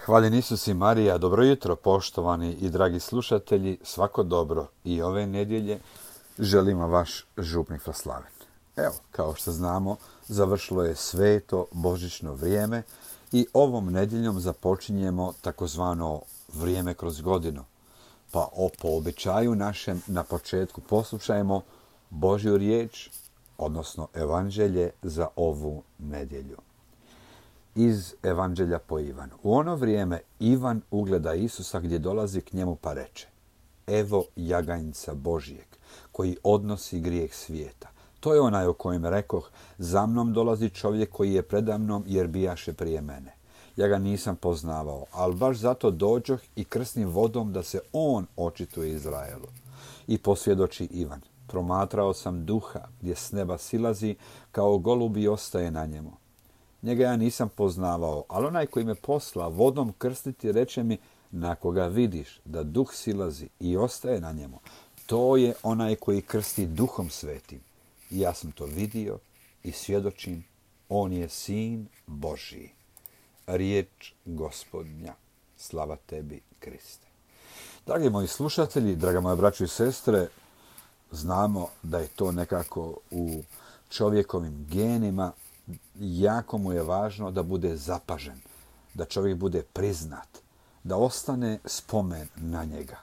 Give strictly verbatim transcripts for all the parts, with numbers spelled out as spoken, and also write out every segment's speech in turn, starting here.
Hvaljen Isus i Marija, dobro jutro poštovani i dragi slušatelji, svako dobro i ove nedjelje želimo vaš župnik Vaslaven. Evo, kao što znamo, završilo je sveto božićno vrijeme i ovom nedjeljom započinjemo takozvano vrijeme kroz godinu. Pa o, po običaju našem na početku poslušajmo Božju riječ, odnosno evanđelje za ovu nedjelju. Iz Evanđelja po Ivanu. U ono vrijeme Ivan ugleda Isusa gdje dolazi k njemu pa reče: Evo jaganjca Božijeg, koji odnosi grijeh svijeta. To je onaj o kojem rekoh, za mnom dolazi čovjek koji je predamnom jer bijaše prije mene. Ja ga nisam poznavao, ali baš zato dođoh i krsnim vodom da se on očituje Izraelu. I posvjedoči Ivan: Promatrao sam duha gdje s neba silazi, kao golub i ostaje na njemu. Njega ja nisam poznavao, ali onaj koji me posla vodom krstiti reče mi: na koga vidiš da duh silazi i ostaje na njemu, to je onaj koji krsti duhom svetim. I ja sam to vidio i svjedočim, on je sin Božiji. Riječ Gospodnja. Slava tebi, Kriste. Dragi moji slušatelji, draga moja braćo i sestre, znamo da je to nekako u čovjekovim genima. Jako mu je važno da bude zapažen, da čovjek bude priznat, da ostane spomen na njega.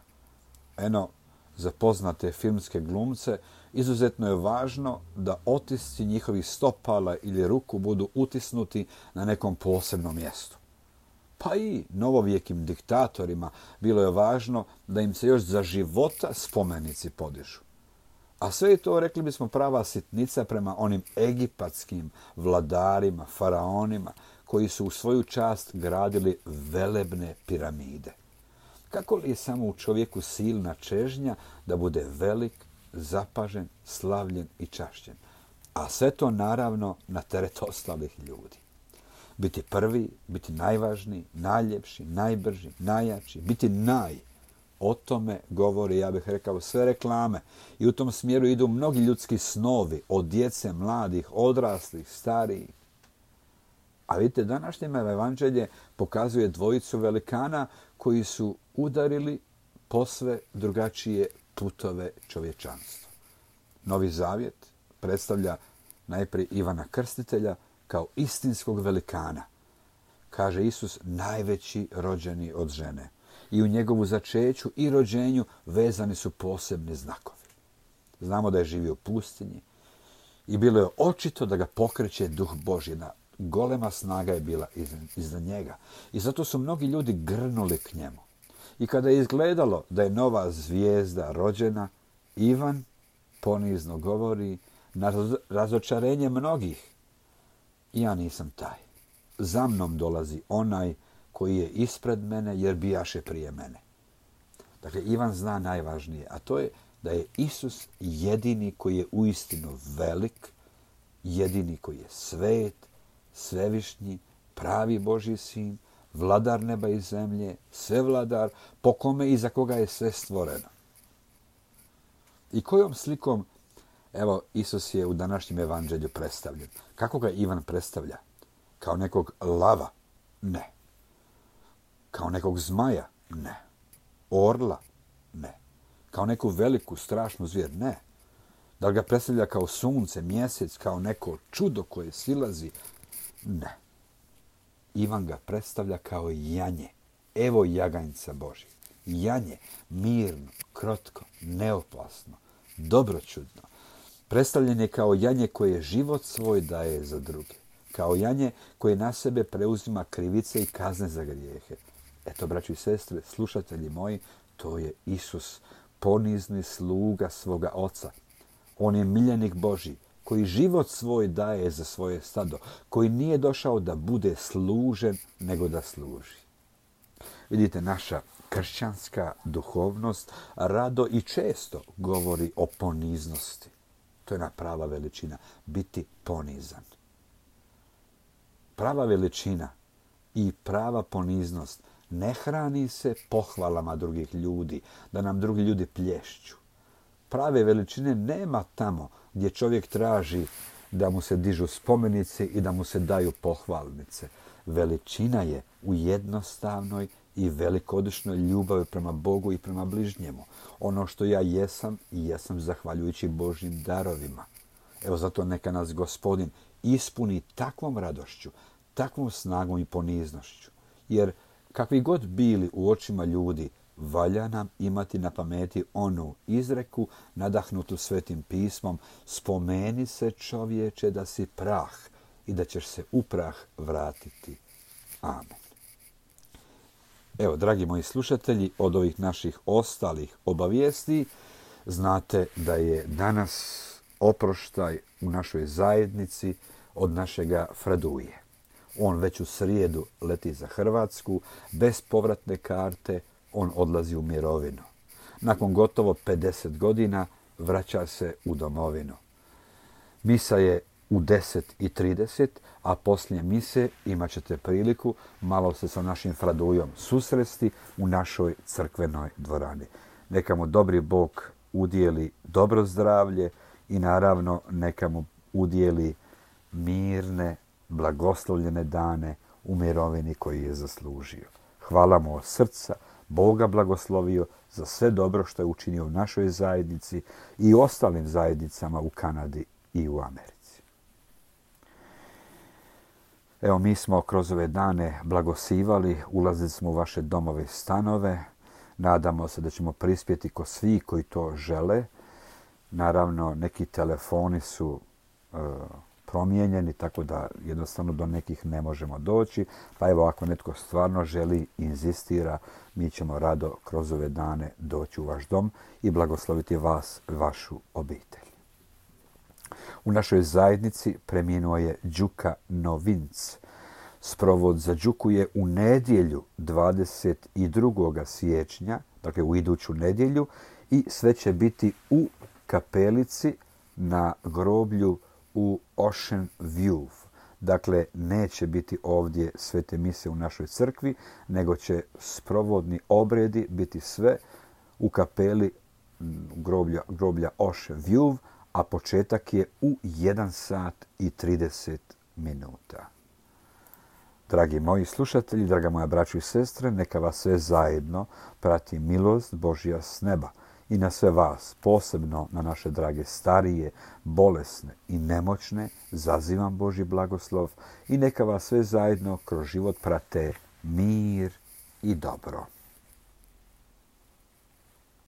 Eno, za poznate filmske glumce izuzetno je važno da otisci njihovih stopala ili ruku budu utisnuti na nekom posebnom mjestu. Pa i novovjekim diktatorima bilo je važno da im se još za života spomenici podižu. A sve je to, rekli bismo, prava sitnica prema onim egipatskim vladarima, faraonima, koji su u svoju čast gradili velebne piramide. Kako li je samo u čovjeku silna čežnja da bude velik, zapažen, slavljen i čašćen? A sve to naravno na teret ostalih ljudi. Biti prvi, biti najvažniji, najljepši, najbrži, najjači, biti naj. O tome govori, ja bih rekao, sve reklame. I u tom smjeru idu mnogi ljudski snovi, od djece, mladih, odraslih, starijih. A vidite, današnje evanđelje pokazuje dvojicu velikana koji su udarili posve drugačije putove čovječanstva. Novi Zavjet predstavlja najprije Ivana Krstitelja kao istinskog velikana. Kaže Isus, najveći rođeni od žene. I u njegovu začeću i rođenju vezani su posebni znakovi. Znamo da je živio u pustinji i bilo je očito da ga pokreće duh Božji. Jedna golema snaga je bila iza njega. I zato su mnogi ljudi grnuli k njemu. I kada je izgledalo da je nova zvijezda rođena, Ivan ponizno govori na razočarenje mnogih: ja nisam taj. Za mnom dolazi onaj koji je ispred mene jer bijaše prije mene. Dakle, Ivan zna najvažnije, a to je da je Isus jedini koji je uistinu velik, jedini koji je svet, svevišnji, pravi Božji sin, vladar neba i zemlje, svevladar, po kome i za koga je sve stvoreno. I kojom slikom, evo, Isus je u današnjem evanđelju predstavljen. Kako ga Ivan predstavlja? Kao nekog lava? Ne. Kao nekog zmaja? Ne. Orla? Ne. Kao neku veliku, strašnu zvijer? Ne. Da li ga predstavlja kao sunce, mjesec, kao neko čudo koje silazi? Ne. Ivan ga predstavlja kao janje. Evo jaganjca Božji. Janje, mirno, krotko, neopasno, dobročudno. Predstavljen je kao janje koje život svoj daje za druge. Kao janje koje na sebe preuzima krivice i kazne za grijehe. Eto, braći i sestre, slušatelji moji, to je Isus, ponizni sluga svoga Oca. On je miljenik Božji, koji život svoj daje za svoje stado, koji nije došao da bude služen, nego da služi. Vidite, naša kršćanska duhovnost rado i često govori o poniznosti. To je jedna prava veličina, biti ponizan. Prava veličina i prava poniznost ne hrani se pohvalama drugih ljudi, da nam drugi ljudi plješću. Prave veličine nema tamo gdje čovjek traži da mu se dižu spomenici i da mu se daju pohvalnice, veličina je u jednostavnoj i velikodušnoj ljubavi prema Bogu i prema bližnjemu. Ono što ja jesam, i jesam zahvaljujući Božjim darovima. Evo zato neka nas Gospodin ispuni takvom radošću, takvom snagom i poniznošću. Jer kakvi god bili u očima ljudi, valja nam imati na pameti onu izreku nadahnutu Svetim pismom: spomeni se, čovječe, da si prah i da ćeš se u prah vratiti. Amen. Evo, dragi moji slušatelji, od ovih naših ostalih obavijesti znate da je danas oproštaj u našoj zajednici od našega Fraduje. On već u srijedu leti za Hrvatsku, bez povratne karte on odlazi u mirovinu. Nakon gotovo pedeset godina vraća se u domovinu. Misa je u deset i trideset, a poslije mise imat ćete priliku malo se sa našim Fradujom susresti u našoj crkvenoj dvorani. Neka mu dobri Bog udijeli dobro zdravlje i naravno neka mu udijeli mirne, blagoslovljene dane u mirovini koji je zaslužio. Hvala mu od srca, Boga blagoslovio za sve dobro što je učinio u našoj zajednici i ostalim zajednicama u Kanadi i u Americi. Evo, mi smo kroz ove dane blagosivali, ulazili smo u vaše domove i stanove. Nadamo se da ćemo prispjeti ko svi koji to žele. Naravno, neki telefoni su e, promijenjeni, tako da jednostavno do nekih ne možemo doći. Pa evo, ako netko stvarno želi, inzistira, mi ćemo rado kroz ove dane doći u vaš dom i blagosloviti vas, vašu obitelj. U našoj zajednici preminuo je Đuka Novinc. Sprovod za Đuku je u nedjelju dvadeset drugog siječnja, dakle u iduću nedjelju, i sve će biti u kapelici na groblju u Ocean View. Dakle, neće biti ovdje svete mise u našoj crkvi, nego će sprovodni obredi biti sve u kapeli groblja, groblja Ocean View, a početak je u jedan sat i trideset minuta. Dragi moji slušatelji, draga moja braćo i sestre, neka vas sve zajedno prati milost Božja s neba i na sve vas, posebno na naše drage starije, bolesne i nemoćne, zazivam Božji blagoslov i neka vas sve zajedno kroz život prate mir i dobro.